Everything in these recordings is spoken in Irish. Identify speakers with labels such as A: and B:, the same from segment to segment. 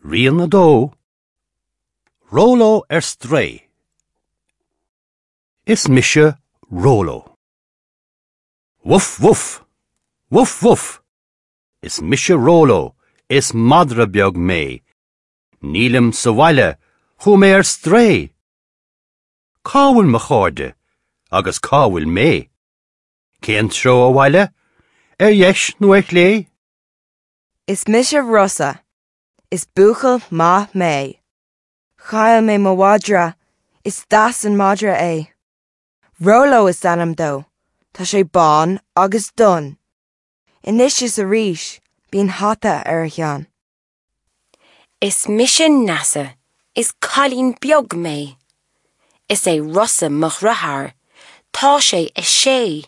A: Rian 2, Róló ar strae Is mise Róló. Wuf wuf! Wuf wuf! Is mise Róló, is madra beag mé. Nílim sa bhaile, chuaigh mé ar strae! Cá bhfuil mo chairde agus cá bhfuil mé? Cén treo abhaile? Ar dheis nó ar chlé?
B: Is mise Rosa. Is buachaill maith mé. Chaill mé mo mhadra. Is deas an madra é. Róló is ainm dó. Tá sé bán agus donn. Anois is arís, bíonn hata ar a cheann.
C: Is mise Neasa, is cailín beag mé. Is é Rosa mo dheartháir, tá sé a sé.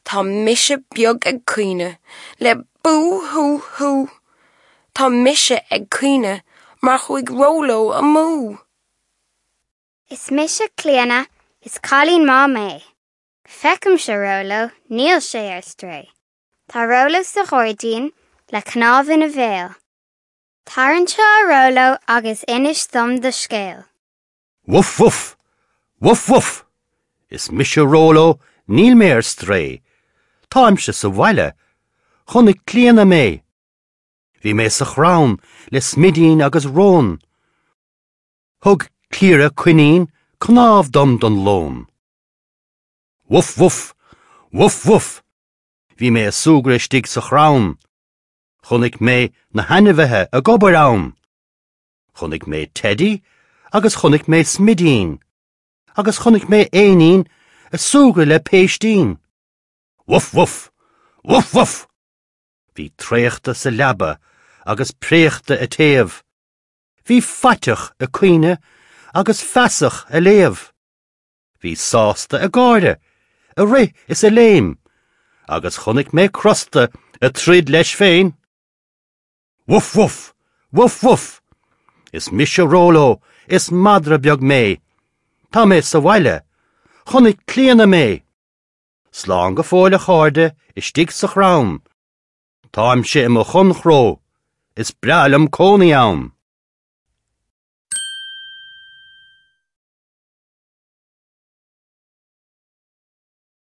C: Tá mise beag ag caoineadh le bú hú hú. Tá mise ag caoineadh mar chuaigh Róló amú.
D: Is mise Clíona, is cailín maith mé. Feicimse Róló, níl sé ar strae. Tá Róló sa ghairdín le cnámh ina bhéal. Tar anseo a Róló agus inis dom do scéal.
A: Wuf wuf! Wuf wuf! Is mise Róló, níl mé ar strae. Táimse sa bhaile. Chonaic Clíona mé. Bhí mé sa chrann le Smidín agus Rón. Thug Cliara coinín cnámh dom don lón. Wuf wuf! Wuf wuf! Bhí mé ag súgradh istigh sa chrann. Chonaic mé na hainmhithe ag obair ann. Chonaic mé Teidí agus chonaic mé Smidín agus chonaic mé éinín ag súgradh le péistín. Wuf wuf! Wuf wuf! Bhí traochta sa leaba agus préachta ag téamh. Bhí faiteach ag caoineadh agus feasach ag léamh. Bhí sásta ag gáire, ag rith is ag léim, agus chonaic mé crosta ag troid leis féin. Wuf wuf! Wuf wuf! Is mise Róló, is madra beag mé. Tá mé sa bhaile. Chonaic Clíona mé. Slán go fóill a chairde istigh sa chrann. Táimse i mo chonnchró, is breá liom cónaí ann.